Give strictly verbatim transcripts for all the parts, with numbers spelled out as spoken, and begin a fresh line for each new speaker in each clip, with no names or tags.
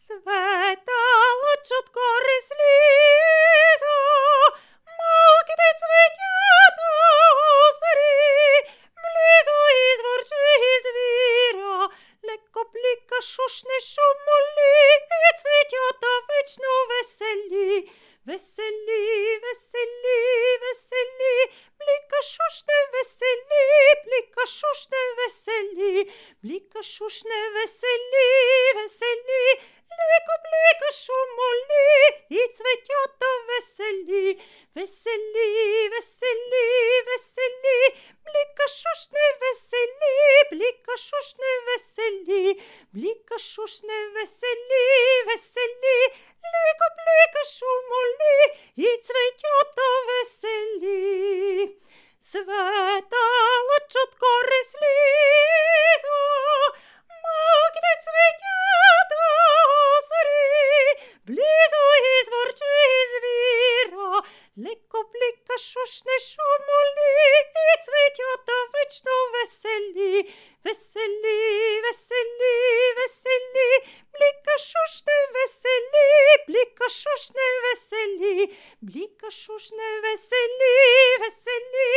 Светало чутко рислізо, малки цвітята осарі, близу із ворчи і звіра, леко пліка шушне шумолі, і цвітята вечно веселі, веселі, веселі, веселі, пліка шушне веселі, пліка шушне веселі, пліка шушне веселі, веселі, леко пліка шумолі, і цвітята веселі, веселі, веселі, веселі, пліка шушне веселі, пліка шушне веселі, пліка шушне веселі, веселі, леко пліка шумолі, і цвітята веселі. Светало чутко рислізо, малки цвітята осарі, близу із ворчи і звіра, леко пліка шушне шумолі, і цвітята вечно веселі, веселі, веселі, веселі, пліка шушне веселі, пліка шушне веселі, пліка шушне веселі, веселі,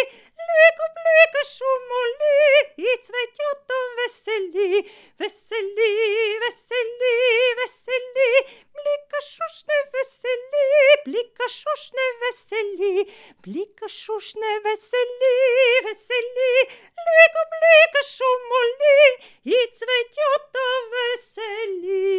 леко пліка шумолі, і цвітята веселі, веселі, веселі, веселі, пліка шушне веселі, пліка шушне веселі, пліка шушне веселі, веселі, леко пліка шумолі, і цвітята веселі.